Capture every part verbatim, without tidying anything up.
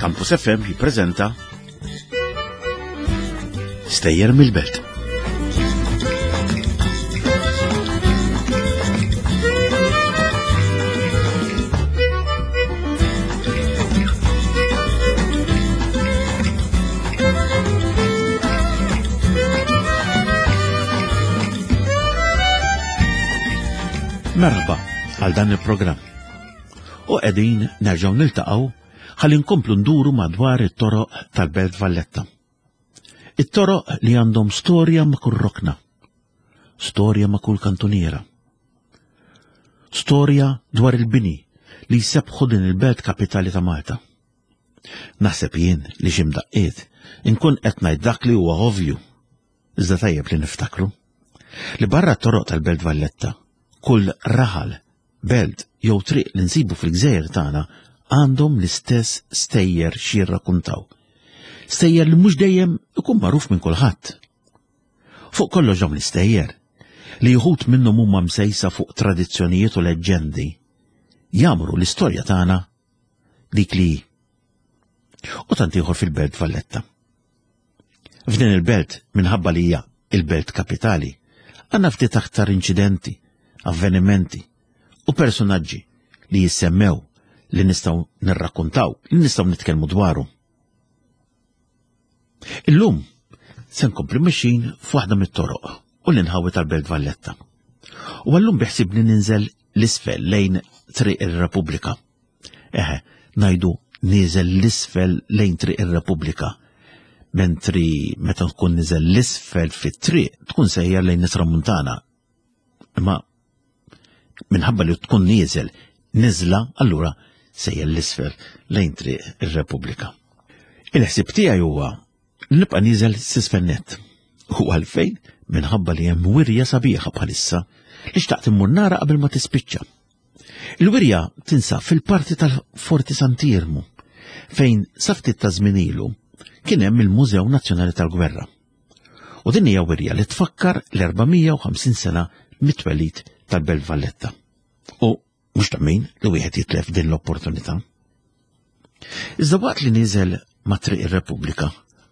Campus F M jippreżenta Stejjer mill-Belt. Merħba għal dan il-programm. U qegħdin nerġgħu niltaqgħu ħalli nkomplu nduru madwar it-toroq tal-Belt Valletta. It-toroq li għandhom storja ma' kull rokna, storja ma' kull kantuniera, storja dwar il-bini li jsebħu din il-belt kapitali ta' Malta. Naħseb jien li xi mdaqqiet inkun qed ngħid dak li huwa ovvju, iżda tajjeb li niftakru li barra t-toroq tal-Belt Valletta, kull raħal, belt jew triq li nsibu fil-gżejjer tagħna għandhom l-istess stejjer xi jirrakkuntaw. Stejjer li mhux dejjem ikun magħruf minn kulħadd. Fuq kollox dawn l-istejjer, li wħud minnhom huma msejsa fuq tradizzjonijiet u leġġendi, jagħmlu l-istorja tagħna dik li hi. U tant ieħor fil-Belt Valletta. F'din il-belt, minħabba li hija il-belt kapitali, għandna ftit aktar inċidenti, avvenimenti u personaġġi li jissemmew, li nistgħu nirrakkuntaw, li nistgħu nitkellmu dwaru. Illum se nkompli mixin f'waħda mit-toroq u l-inħawi tal-Belt Valletta. U għallum biħsibni ninżel l-isfel lejn Triq ir-Repubblika. Eħe, ngħidu niżel l-isfel lejn Triq ir-Repubblika. Mentri meta tkun niżel l-isfel fit-triq tkun sejjer lejn it-Tramuntana. Imma minħabba li tkun nieżel niżla, allura sejjer l-isfel lejn Triq ir-Repubblika. Il-ħsieb tiegħi huwa nibqa' nieżel s'isfel nett. U għalfejn? Minħabba li hemm wirja sabiħa bħalissa li xtaqt immur nara qabel ma tispiċċa. Il-wirja tinsab fil-parti tal-Forti Sant'Iermu, fejn sa ftit ta' żmien ilu kien hemm il-Mużew Nazzjonali tal-Gwerra. U din hija wirja li tfakkar l-erba' mija u ħamsin sena mit-twelid tal-Belt Valletta. U mhux ta' min li wieħed jitlef din l-opportunità. Iżda waqt li niżel ma' Triq ir-Repubblika,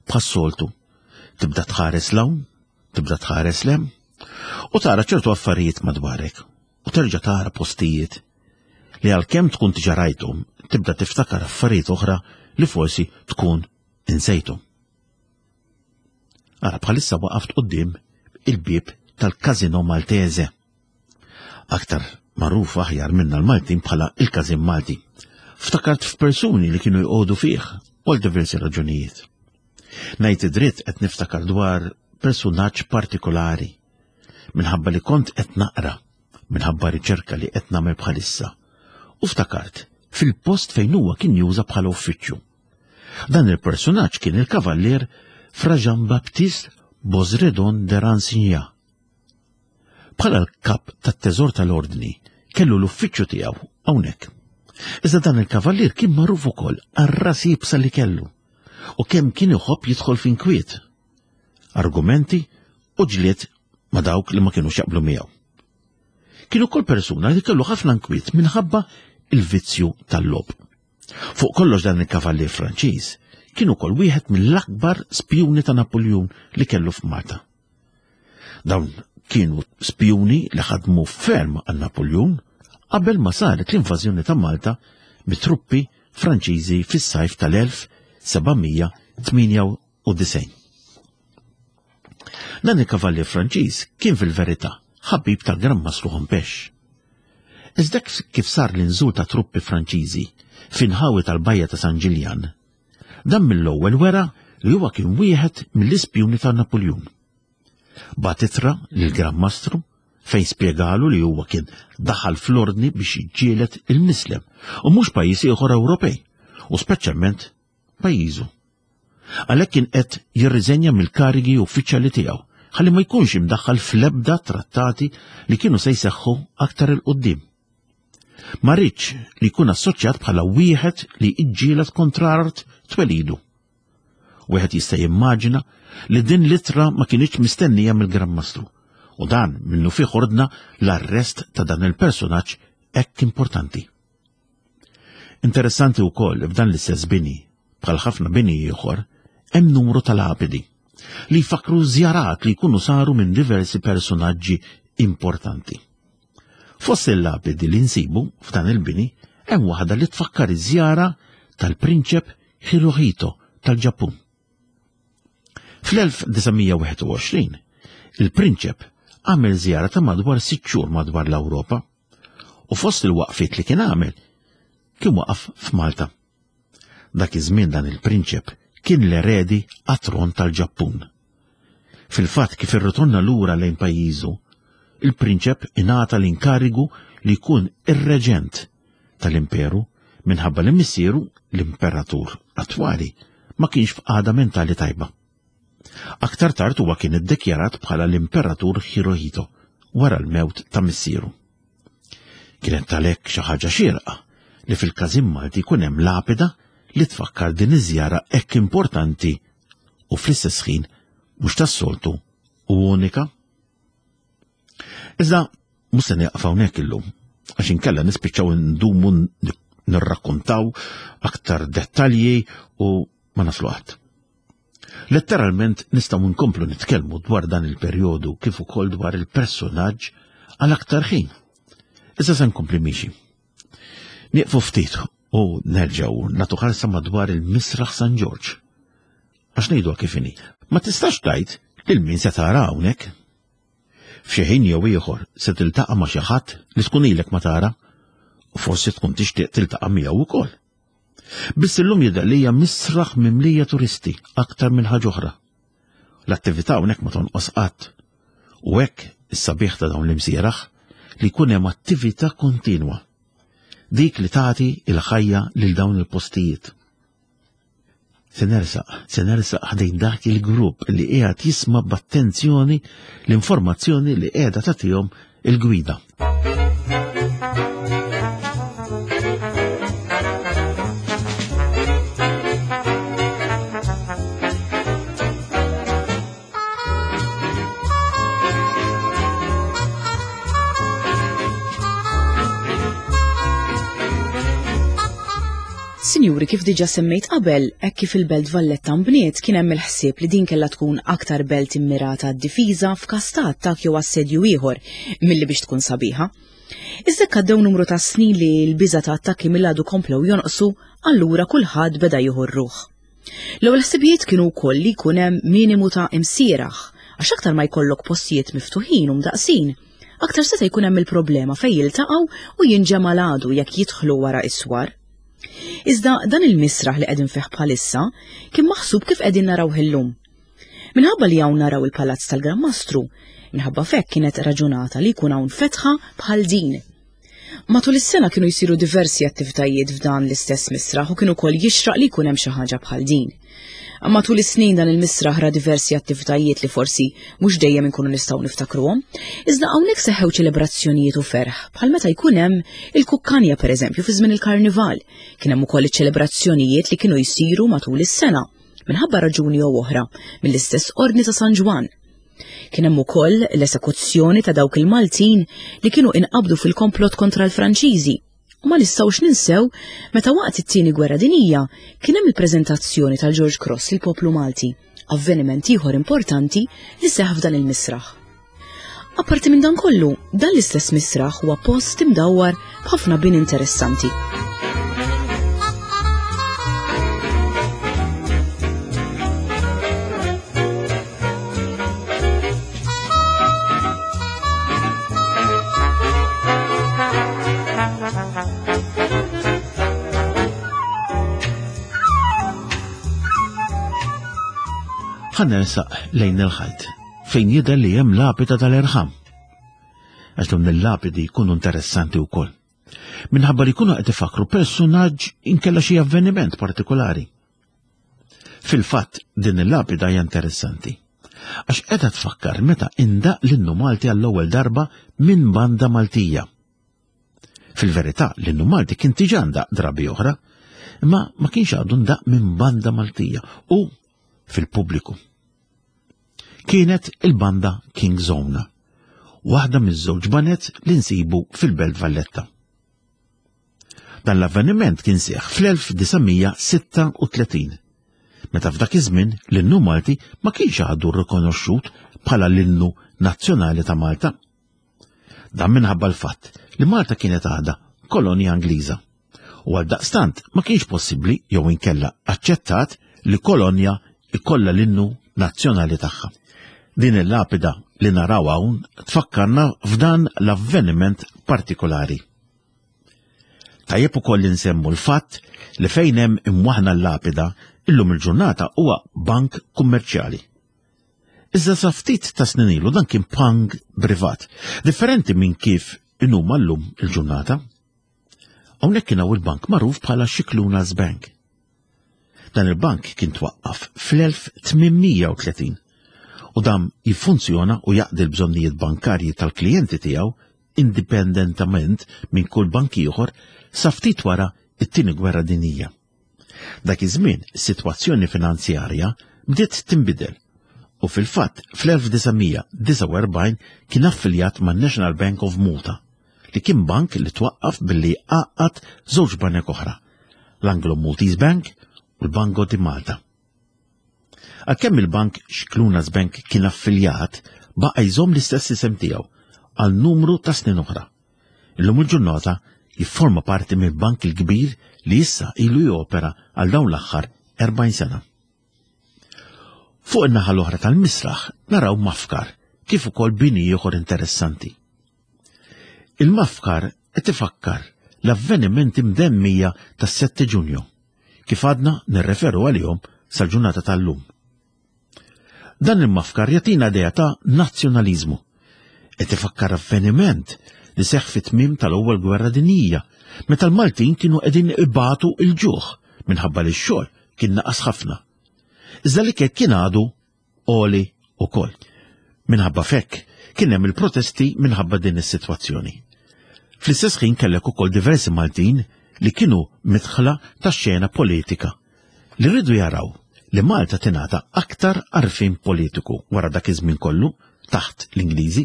bħas-soltu, tibda tħares l-hawn, tibda tħares l-hemm, u tara ċertu affarijiet madwarek, u terġa' tara postijiet li għalkemm tkun diġà rajthom, tibda tiftakar affarijiet oħra li forsi tkun insejthom. Ara bħalissa waqaft quddiem il-bieb tal-Casino Maltese, aktar magħruf aħjar minna l-Maltin bħala il-Każin Malti. Ftakart f'persuni li kienu jqogħdu fih għal diversi raġunijiet. Ngħid id-dritt qed niftakar dwar personaġġ partikolari minħabba li kont qed naqra, minħabba riċerka li qed nagħmel bħalissa, u ftakart fil-post fejn huwa kien juża bħala uffiċċju. Dan il-personaġġ kien il-kavallier Fra Jean Baptiste Bosredon de Ransignan. Bħala l-kap tat-teżor tal-ordni kellu l-uffiċċju tiegħu hawnhekk. Iżda dan il-kavallier kien magħruf ukoll għar-ras iebsa li kellu u kemm kien iħobb jidħol f'inkwiet, argumenti u ġlied ma' dawk li ma kinux jaqblu miegħu. Kien ukoll persuna li kellu ħafna nkwiet minħabba il-vizzju tal-logħob. Fuq kollox dan il-kavallier Franċiż kien ukoll wieħed mill-akbar spjuni ta' Napoleon li kellu f'Malta. Dawn kienu spjuni li ħadmu ferm għal Napoleon qabel ma saret l-invażjoni ta' Malta mit-truppi Franċiżi fis-sajf tal-elf seba' mija tmienja u disgħin. Dan il-kavallier Franċiż kien fil-verità ħabib tal-Gran Mastru Hompesch. Iżda kif sar l-inżul ta' truppi Franċiżi f'inħawi tal-Bajja ta' San Ġiljan, dan mill-ewwel wera li huwa kien wieħed mill-ispjuni ta' Napoleon. Bagħat ittra lill-Gran Mastru fejn spjegalu li huwa kien daħal fl-ordni biex jiġġieled il-Mislem u mhux pajjiż ieħor Ewropej, u speċjalment pajjiżu. Għalhekk kien qed jirriżenja mill-karigi uffiċjali tiegħu ħalli ma jkunx imdaħħal fl-ebda trattati li kienu se jseħħu aktar il-qudiem. Ma rridx li jkun assoċjat bħala wieħed li jiġġieled kontra art twelidu. Wieħed jista' jimmaġina li din l-ittra ma kinitx mistennija mill-Gran Mastru, u dan minnu fih ordna l-arrest ta' dan il-personaġġ hekk importanti. Interessanti wkoll f'dan l-istess bini, bħal ħafna bini ieħor, hemm numru ta' lapidi li jfakkru żjarat li jkunu saru minn diversi personaġġi importanti. Fost il-lapidi li nsibu f'dan il-bini hemm waħda li tfakkar iż-żjara tal-Prinċep Hirohito tal-Ġappun. Fl-elf disa' mija wieħed u għoxrin, il-Prinċep għamel żjara ta' madwar sitt xhur madwar l-Ewropa u fost il-waqfiet li kien għamel kien waqaf f'Malta. Dak iż-żmien dan il-Prinċep kien l-eredi għat-tron tal-Ġappun. Fil-fatt kif irritorna lura lejn pajjiżu, il-Prinċep ingħata l-inkarigu li jkun ir-reġent tal-imperu minħabba li missieru l-imperatur attwali ma kienx f'qagħda mentali tajba. Aktar tard huwa kien iddikjarat bħala l-imperatur Hirohito wara l-mewt ta' missieru. Kienet għalhekk xi ħaġa xierqa li fil-każin Malti jkun hemm lapida li tfakkar din iż-żjara hekk importanti u fl-istess ħin mhux tas-soltu u unika. Iżda mhux se nieqaf hawnhekk illum, għax inkella nispiċċaw ndumu nirrakkontaw aktar dettalji u ma naslu qatt. Letteralment nistgħu nkomplu nitkellmu dwar dan il-perjodu kif ukoll dwar il-personaġġ għal aktar ħin. Issa se nkompli miexi. Nieqfu ftit u nerġgħu nagħtu ħarsa madwar il-Misraħ San Ġorġ. Għax ngħiduha kif inhi, ma tistax tgħid lil min se tara hawnhekk. F'xi ħin jew ieħor se tiltaqa' ma' xi ħadd li tkun ilek ma tara u forsi tkun tixtieq tiltaqa' miegħu wkoll. Biss illum jidher li hija misraħ mimlija turisti aktar minn ħaġa oħra. L-attività hawnhekk ma tonqos qatt. U hekk is-sabiħ ta' dawn l-imsieraħ li jkun hemm attività kontinwa. Dik li tagħti il-ħajja lil dawn il-postijiet. Se nersaq, se nersaq ħdejn dak il-grupp li qiegħed jisma' b'attenzjoni l-informazzjoni li qiegħda tagħtihom il-gwida. Sinjuri, kif diġa semmejt qabel, hekk kif il-Belt Valletta nbniet kien hemm il-ħsieb li din kellha tkun aktar belt immirata għad-difiża f'każ ta' attakk jew assedju ieħor milli biex tkun sabiħa. Iżda hekk għaddew numru ta' snin li l-biża' ta' attakki mill-għadu komplew jonqsu, allura kulħadd beda jieħu r-ruħ. L-ewwel ħsibijiet kienu wkoll li jkun hemm minimu ta' imsieraħ, għax aktar ma jkollok postijiet miftuħin u mdaqsin, aktar seta' jkun hemm il-problema fejn jiltaqgħu u jinġema' l-għadu jekk jidħlu wara is-swar. Iżda dan il-misraħ li qegħdin fih bħalissa kien maħsub kif qegħdin narawh illum. Minħabba li hawn naraw il-Palazz tal-Gran Mastru, minħabba f'hekk kienet raġunata li jkun hawn fetħa bħal din. Matul is-sena kienu jsiru diversi attivitajiet f'dan l-istess misraħ u kien ukoll jixraq li jkun hemm xi ħaġa bħal din. Matul is-snin dan il-misraħ ra diversi attivitajiet li forsi mhux dejjem inkunu nistgħu niftakruhom, iżda hawnhekk seħħew ċelebrazzjonijiet u ferħ bħal meta jkun hemm il-kukkanja pereżempju fi żmien il-karnival. Kien hemm ukoll iċ-ċelebrazzjonijiet li kienu jsiru matul is-sena minħabba raġuni jew oħra mill-istess Ordni ta' San Ġwann. Kien hemm ukoll l-esekuzzjoni ta' dawk il-Maltin li kienu inqabdu fil-komplott kontra l-Franċiżi. U ma nistgħux ninsew meta waqt it-tieni gwerra dinjija kien hemm il-preżentazzjoni tal-George Cross lill-poplu Malti, avveniment ieħor importanti li seħħ f'dan il-misraħ. Apparti minn dan kollu, dan l-istess misraħ huwa post imdawwar b'ħafna bini interessanti. Ħa nersaq lejn il-ħajt fejn jidher li hemm lapida tal-irħam. Għax dawn il-lapidi jkunu interessanti wkoll. Minħabba li jkunu qed ifakru personaġġ inkella xi avveniment partikolari. Fil-fatt din il-lapida hija interessanti għax qiegħda tfakkar meta indaq l-innu Malti għall-ewwel darba minn banda Maltija. Fil-verità l-innu Malti kien diġà ndaq drabi oħra, imma ma kienx għadu ndaq minn banda Maltija u fil-pubbliku. Kienet il-banda King Zone, waħda miż-żewġ banet li nsibu fil-Belt Valletta. Dan l-avveniment kien seħħ fl-elf disa' mija sitta u tletin, meta f'dak iż-żmien l-innu Malti ma kienx għadu rikonoxxut bħala l-innu nazzjonali ta' Malta. Dan minħabba l-fatt li Malta kienet għadha kolonja Ingliża u għaldaqstant ma kienx possibbli jew inkella aċċettat li kolonja ikollha l-innu nazzjonali tagħha. Din il-lapida li naraw hawn tfakkarna f'dan l-avveniment partikolari. Tajjeb ukoll insemmu l-fatt li fejn hemm imwaħna l-lapida illum il-ġurnata huwa bank kummerċjali. Iżda sa ftit ta' snin ilu dan kien bank privat, differenti minn kif inhuma llum il-ġurnata. Hawnhekk kien hawn il-bank magħruf bħala Scicluna's Bank. Dan il-bank kien twaqqaf fl-elf tmien mija u tletin u dam jiffunzjona u jaqdi l-bżonnijiet bankarji tal-klijenti tiegħu indipendentament minn kull bank ieħor sa ftit wara it-tieni gwerra dinjija. Dak iż-żmien is-sitwazzjoni finanzjarja bdiet tinbidel u fil-fatt fl-elf disa' mija disgħa u erbgħin kien affiljat man-National Bank of Malta, li kien bank li twaqqaf billi għaqqad żewġ banek oħra, l-Anglo Maltese Bank u l-Banco di Malta. Għalkemm il-bank Scicluna's Bank kien affiljat, baqa' jżomm l-istess isem tiegħu għal numru ta' snin oħra. Illum il-ġurnata jifforma parti mill-bank il-kbir li issa ilu jopera għal dawn l-aħħar erbgħin sena. Fuq in-naħa l-oħra tal-misraħ naraw mafkar kif ukoll bini ieħor interessanti. Il-mafkar qed ifakkar l-avvenimenti mdemmija tas-sette Ġunju, kif għadna nirreferu għalihom sal-ġurnata tal-lum. Dan il-mafkar jagħtina idea ta' nazzjonaliżmu. Qed ifakkar avveniment li seħħ fit-tmiem tal-ewwel gwerra dinjija, meta l-Maltin kienu qegħdin ibatu l-ġuħ minħabba li x-xogħol kien naqas ħafna. Iżda li kien għadu għoli ukoll. Minħabba fekk kien hemm il-protesti minħabba din is-sitwazzjoni. Fl-istess ħin kellek ukoll diversi Maltin li kienu midħla tax-xena politika li rridu jaraw li Malta tingħata aktar għarfien politiku wara dak iż-żmien kollu taħt l-Ingliżi.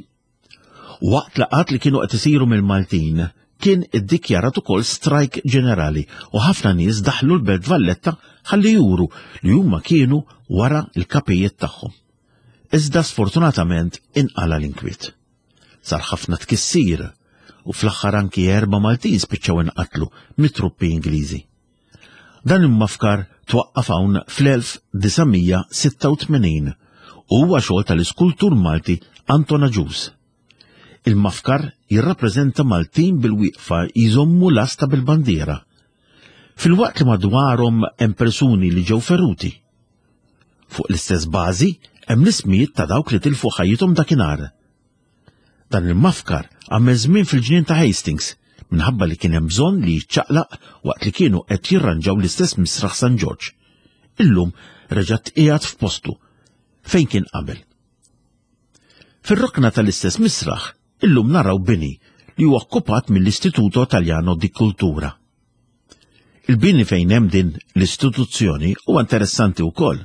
Waqt laqgħat li kienu qed isiru mill-Maltin kien iddikjarat ukoll strajk ġenerali u ħafna nies daħlu l-Belt Valletta ħalli juru li huma kienu wara l-kapijiet tagħhom. Iżda sfortunatament inqala l-inkwiet. Sar ħafna tkissir u fl-aħħar anki erba' Maltin spiċċaw inqatlu mit-truppi Ingliżi. Dan il-mafkar twaqqaf hawn fl-elf disa' mija sitta u tmenin u huwa xogħol tal-iskultur Malti Anton Agius. Il-mafkar jirrappreżenta Maltin bil-wieqfa jżommu lasta bil-bandiera, filwaqt li madwarhom hemm persuni li ġew feruti. Fuq l-istess bażi hemm l-ismijiet ta' dawk li tilfu ħajjithom dakinhar. Dan il-mafkar għamel żmien fil-ġnien ta' Hastings minħabba li kien hemm bżonn li jiċċaqlaq waqt li kienu qed jirranġaw l-istess misraħ San Ġorġ. Illum reġa' tqiegħed f'postu fejn kien qabel. Fir-rokna tal-istess misraħ illum naraw bini li huwa okkupat mill-Istituto Italiano di Cultura. Il-bini fejn hemm din l-istituzzjoni huwa interessanti wkoll.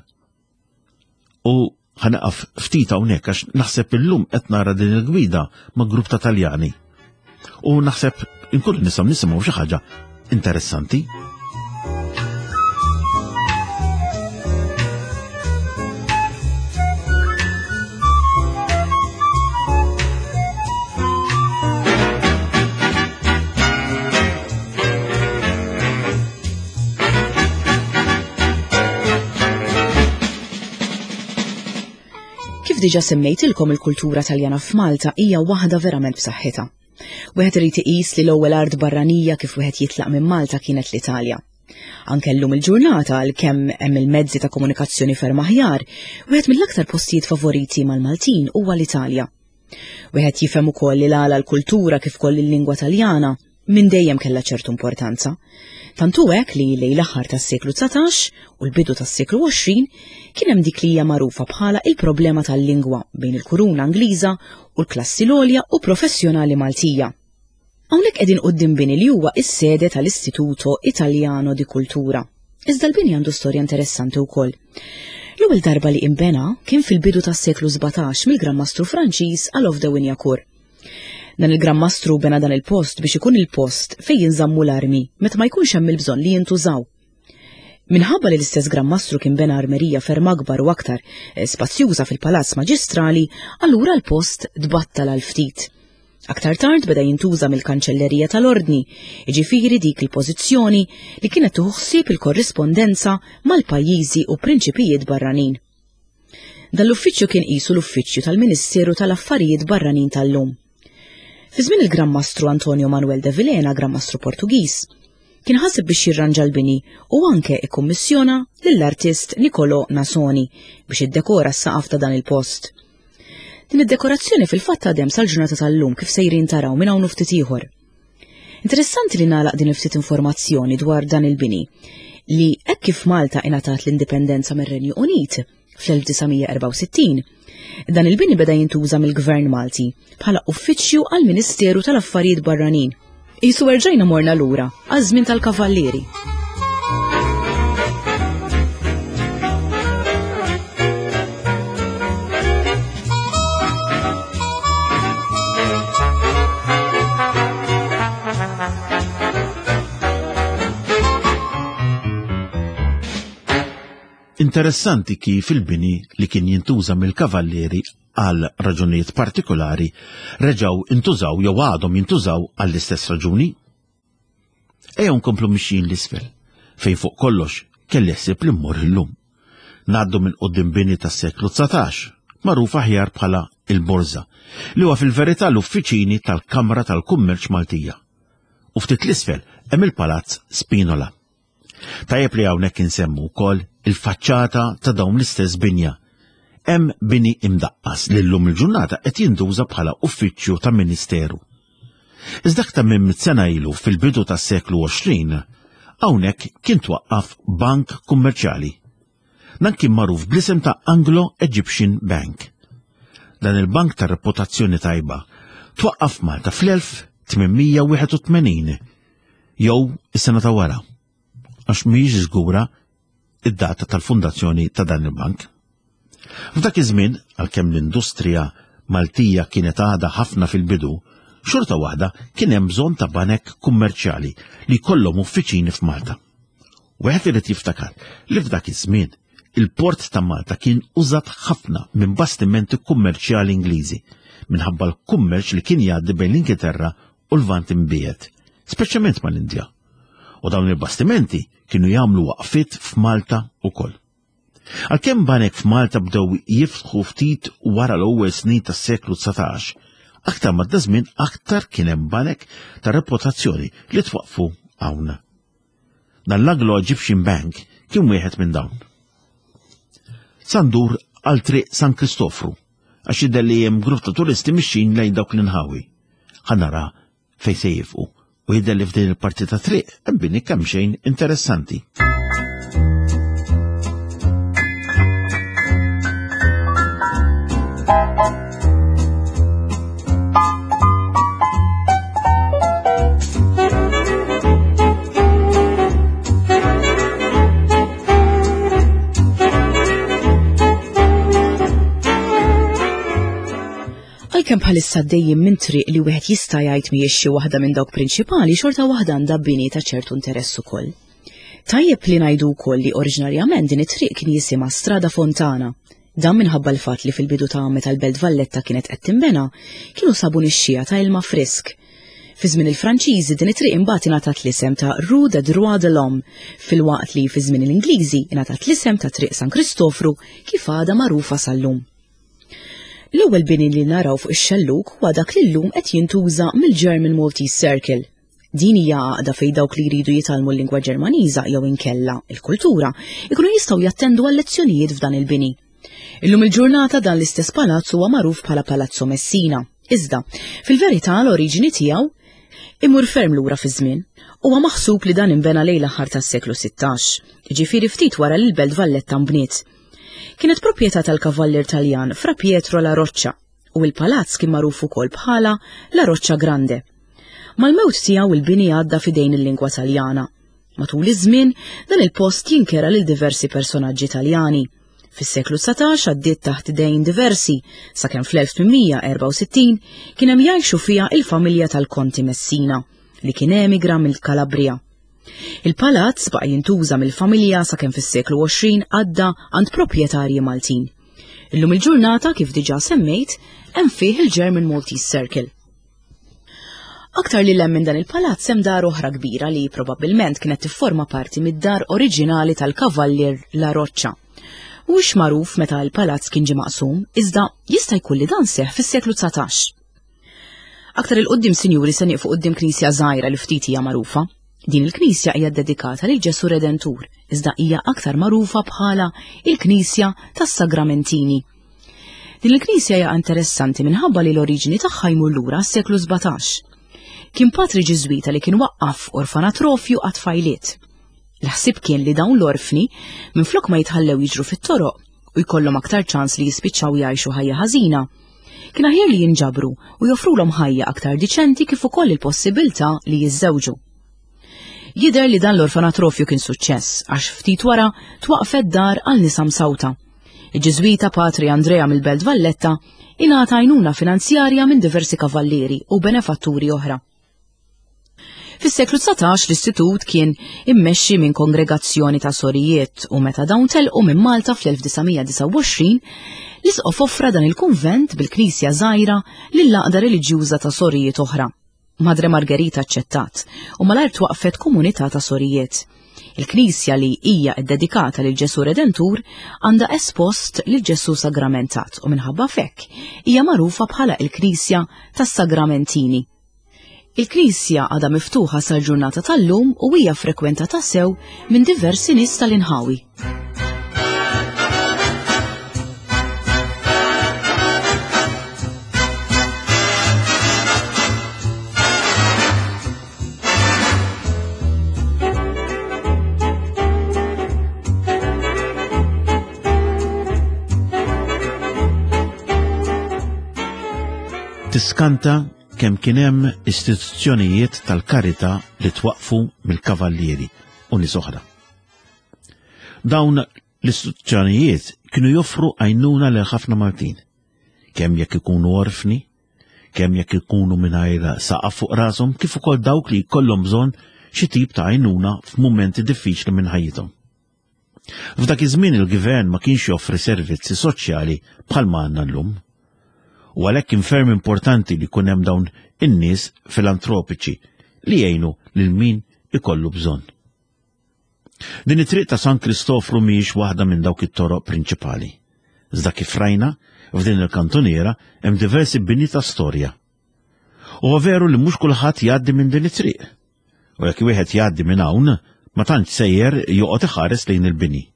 U ħanaqaf ftit hawnhekk għax naħseb illum qed nara din il-gwida ma' grupp ta' Taljani. U naħseb inkunu nistgħu nisimgħu xi ħaġa interessanti. Kif diġa semmejtilkom, il-kultura Taljana f'Malta hija waħda verament b'saħħitha. Wieħed irid iqis li l-ewwel art barranija kif wieħed jitlaq minn Malta kienet l-Italja. Anke llum il-ġurnata, għalkemm hemm il-mezzi ta' komunikazzjoni ferm aħjar, wieħed mill-aktar postijiet favoriti mal-Maltin huwa l-Italja. Wieħed jifhem ukoll li l-għala l-kultura kif ukoll il-lingwa Taljana minn dejjem kellha ċertu importanza. Tant hu hekk li lejn l-aħħar tas-seklu dsatax u l-bidu tas-seklu għoxrin kien hemm dik li hija magħrufa bħala il-problema tal-lingwa bejn il-kuruna Ingliża u l-klassi l-għolja u professjonali Maltija. Hawnhekk qegħdin quddiem bini li huwa s-sede tal-Istituto Italiano di Cultura. Iżda l-bini għandu storja interessanti wkoll. L-ewwel darba li inbena kien fil-bidu tas-seklu sbatax mill-Gran Mastru Franċiż Alof de Wignacourt. Dan il-Gran Mastru bena dan il-post biex ikun il-post fejn jinżammu l-armi meta ma jkunx hemm il-bżonn li jintużaw. Minħabba li l-istess Gran Mastru kien bena armerija ferm akbar u aktar eh, spazjuża fil-Palazz Maġistrali, allura l-post tbattal għal ftit. Aktar tard beda jintuża mill-Kanċellerija tal-Ordni, jiġifieri dik il-pożizzjoni li kienet tieħu ħsieb il-korrispondenza mal-pajjiżi u prinċipijiet barranin. Dan l-uffiċċju kien qisu l-uffiċċju tal-Ministeru tal-Affarijiet Barranin tal-lum. Fi żmien il-Gran Mastru Antonio Manuel de Vilhena, Gran Mastru Portugiż, kien ħaseb biex jirranġa l-bini u anke ikkummissjona lill-artist Nicolò Nasoni biex iddekora s-saqaf ta' dan il-post. Din id-dekorazzjoni fil-fatt għadhem sal-ġurnata tal-lum kif sejrin taraw minn hawn ftit ieħor. Interessanti li nagħlaq din il-ftit informazzjoni dwar dan il-bini li hekk kif Malta ingħatat l-indipendenza mir-Renju Unit fl-elf disa' mija erbgħa u sittin, dan il-bini beda jintuża mill-Gvern Malti bħala uffiċċju għall-Ministeru tal-Affarijiet Barranin. Qisu erġajna morna lura għaż-żmien tal-Kavallieri. Interessanti kif il-bini li kien jintuża mill-kavallieri għal raġunijiet partikolari reġgħu intużaw jew għadhom jintużaw għall-istess raġuni. Ejjew nkomplu mixjin l-isfel, fejn fuq kollox kelli ħsieb li mmur illum. Ngħaddu minn quddiem bini tas-seklu dsatax, magħruf aħjar bħala il-Borża, li huwa fil-verità l-uffiċini tal-Kamra tal-Kummerċ Maltija. U ftit l-isfel hemm il-Palazz Spinola. Tajjeb li hawnhekk insemmu wkoll il-faċċata ta' dawn l-istess binja. Hemm bini imdaqqas li llum il-ġurnata qed jintuża bħala uffiċċju ta' ministeru. Iżda aktar minn mitt sena ilu fil-bidu tas-seklu għoxrin, hawnhekk kien twaqqaf bank kummerċjali. Dan kien magħruf bl-isem ta' Anglo-Egyptian Bank. Dan il-bank ta' reputazzjoni tajba twaqqaf Malta fl-elf tmien mija wieħed u tmenin jew is-sena ta' wara, għax mhijiex żgura id-data tal-fundazzjoni ta' dan il-bank. F'dak iż-żmien, għalkemm l-industrija Maltija kienet għadha ħafna fil-bidu, xorta waħda kien hemm bżonn ta' banek kummerċjali li jkollhom uffiċini f'Malta. Wieħed irid jiftakar li f'dak iż-żmien il-port ta' Malta kien użat ħafna minn bastimenti kummerċjali Ingliżi minħabba l-kummerċ li kien jgħaddi bejn l-Ingilterra u l-Lvant imbiegħed, speċjalment mal-Indja. U dawn il-bastimenti kienu jagħmlu waqfiet f'Malta ukoll. Għalkemm banek f'Malta bdew jiftħu ftit wara l-ewwel snin tas-seklu dsatax, aktar ma żmien aktar kien hemm banek ta' reputazzjoni li twaqfu hawn. Dan l-Anglo-Egyptian Bank kien wieħed minn dawn. Sandur għal triq San Kristofru, għax jidher li hemm grupp ta' turisti mixjin lejn dawk l-inħawi. Ħa nara fejn se jifqu u jidher li f'din il-parti ta' triq hemm bini kemm xejn interessanti. Għalkemm bħalissa dejjem minn triq li wieħed jista' jgħid mhijiex xi waħda minn dawk prinċipali, xorta waħda għandha bini ta' ċertu interess ukoll. Tajjeb li ngħidu wkoll li oriġinarjament din it-triq kien jisimha Strada Fontana. Dan minħabba l-fatt li fil-bidu ta' meta l-Belt Valletta kienet qed tinbena, kienu sabu nixxija ta' ilma frisk. Fi żmien il-Franċiżi din it-triq imbagħad ingħatat l-isem ta' Rue des Droits de l'Homme, filwaqt li fi żmien l-Ingliżi ingħatat l-isem ta' Triq San Kristofru kif għadha magħrufa sal-lum. L-ewwel bini li naraw fuq ix-xellug huwa dak li llum qed jintuża mill-German Maltese Circle. Din hija għaqda fejn dawk li jridu jitgħallmu l-lingwa Ġermaniża jew inkella il-kultura ikunu jistgħu jattendu għal lezzjonijiet f'dan il-bini. Illum il-ġurnata dan l-istess palazz huwa magħruf bħala Palazzo Messina. Iżda, fil-verità l-oriġini tiegħu imur ferm lura fi żmien. Huwa maħsub li dan inbena lejn l-aħħar tas-seklu sittax, jiġifieri ftit wara li l-Belt Valletta nbniet. Kienet proprjetà tal-kavallier Taljan Fra Pietro La Roccia u l-palazz kien magħruf ukoll bħala La Roccia Grande. Mal-mewt tiegħu il-bini għadda f'idejn il-lingwa Taljana. Matul iż-żmien dan il-post jinkera lil diversi personaġġi Taljani, Fis-seklu dsatax għaddiet taħt idejn diversi, sakemm fl-elf tmien mija erbgħa u sittin kien hemm jgħixu fiha il-familja tal-Konti Messina, li kien emigra mill-Kalabria. Il-palazz baqa' jintuża mill-familja sakemm fis-seklu għoxrin għadda għand proprjetarji Maltin. Illum il-ġurnata, kif diġà semmejt, hemm fih il-German Maltese Circle. Aktar li hemm minn dan il-palazz hemm dar oħra kbira li probabbilment kienet tifforma parti mid-dar oriġinali tal-Kavallier La Roccia. Mhuwiex magħruf meta l-palazz kien ġie maqsum, iżda jista' jkun li dan seħħ fis-seklu dsatax. Aktar il-qudiem, sinjuri, se nieqfu quddiem knisja żgħira li ftit hija magħrufa. Din il-knisja hija ddedikata lil Ġesu Redentur, iżda hija aktar magħrufa bħala il-Knisja tas-Sagramentini. Din il-knisja hija interessanti minħabba li l-oriġini tagħha jmur lura s-seklu sbatax. Kien patri Ġiżwita li kien waqqaf orfanatrofju għat-tfajliet. L-ħsieb kien li dawn l-orfni minflok ma jitħallew jiġru fit-toroq u jkollhom aktar ċans li jispiċċaw jgħixu ħajja ħażina, kien aħjar li jinġabru u joffrulhom ħajja aktar diċenti kif ukoll il-possibilità li jiżżewġu. Jidher li dan l-orfanatrofju kien suċċess għax ftit wara twaqfet dar għal nisa msawta. Il-Ġiżwita Patri Andrea mill-Belt Valletta ingħata għajnuna finanzjarja minn diversi kavallieri u benefatturi oħra. Fis-seklu dsatax l-istitut kien immexxi minn kongregazzjoni ta' sorijiet u meta dawn telqu minn Malta fl-elf disa' mija disgħa u għoxrin, l-isqof offra dan il-kunvent bil-knisja żgħira lill-għaqda reliġjuża ta' sorijiet oħra. Madre Margherita aċċettat u malajr twaqfet komunità ta' sorijiet. Il-knisja li hija ddedikata lil Ġesu Redentur għandha espost lil Ġesu Sagramentat u minħabba fekk hija magħrufa bħala il-Knisja tas-Sagramentini. Il-knisja għadha miftuħa sal-ġurnata tal-lum u hija frekwentata sew minn diversi nies tal-inħawi. Tiskanta kemm kien hemm istituzzjonijiet tal-karità li twaqfu mill-kavallieri u nies oħra. Dawn l-istituzzjonijiet kienu joffru għajnuna lil ħafna Maltin, kemm jekk ikunu orfni, kemm jekk ikunu mingħajr saqaf fuq rashom, kif ukoll dawk li jkollhom bżonn xi tip ta' għajnuna f'mumenti diffiċli minn ħajjithom. F'dak iż-żmien il-gvern ma kienx joffri servizzi soċjali bħalma għandna llum. U għalhekk kien ferm importanti li jkun hemm dawn in-nies filantropiċi li jgħinu lil min ikollu bżonn. Din it-triq ta' San Kristofru mhijiex waħda minn dawk it-toroq prinċipali. Iżda kif rajna, f'din il-kantuniera hemm diversi bini ta' storja. Huwa veru li mhux kulħadd jgħaddi minn din it-triq. U jekk wieħed jgħaddi minn hawn, ma tantx sejjer joqgħod iħares lejn il-bini.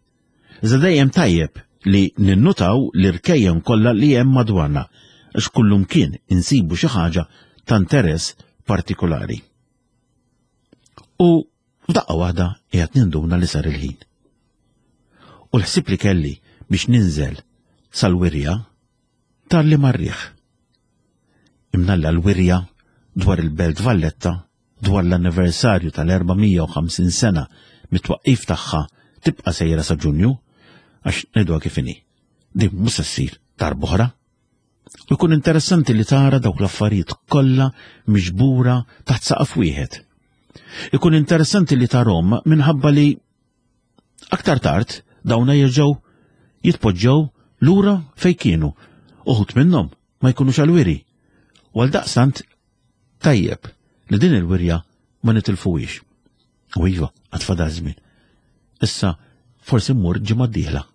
Iżda dejjem tajjeb li ninnutaw l-irkejjen kollha li hemm madwarna, għax kullum kien insibu xi ħaġa ta' interess partikolari. U f'daqqa waħda qiegħed ninduna li sar il-ħin. U l-ħsieb li kelli biex ninżel sal-wirja tar li marriħ. Imnalla l-wirja dwar il-Belt Valletta dwar l-anniversarju tal-erba' mija u ħamsin sena mit-twaqqif tagħha tibqa' sejra sa Ġunju, għax ngħiduha kif inhi. Din mhux se ssir darb'oħra. U jkun interessanti li tara dawk l-affarijiet kollha miġbura taħt saqaf wieħed. Ikun interessanti li tarhom minħabba li aktar tard dawna jerġgħu jitpoġġew lura fejn kienu. Uħud minnhom ma jkunux għal-wiri. U għal daqstant tajjeb li din il-wirja ma nitilfuhiex. U iva, għad fadal żmien. Issa forsi mmur ġimgħa d-dieħla.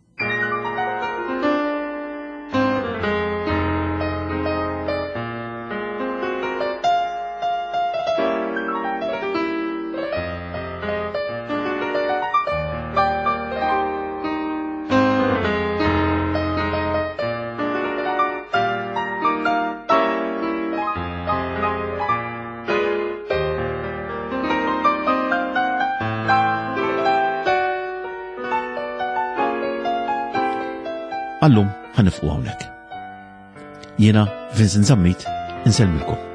Għallum ħanifqu hawnhekk. Jiena Vincent Zammit insellmilkom.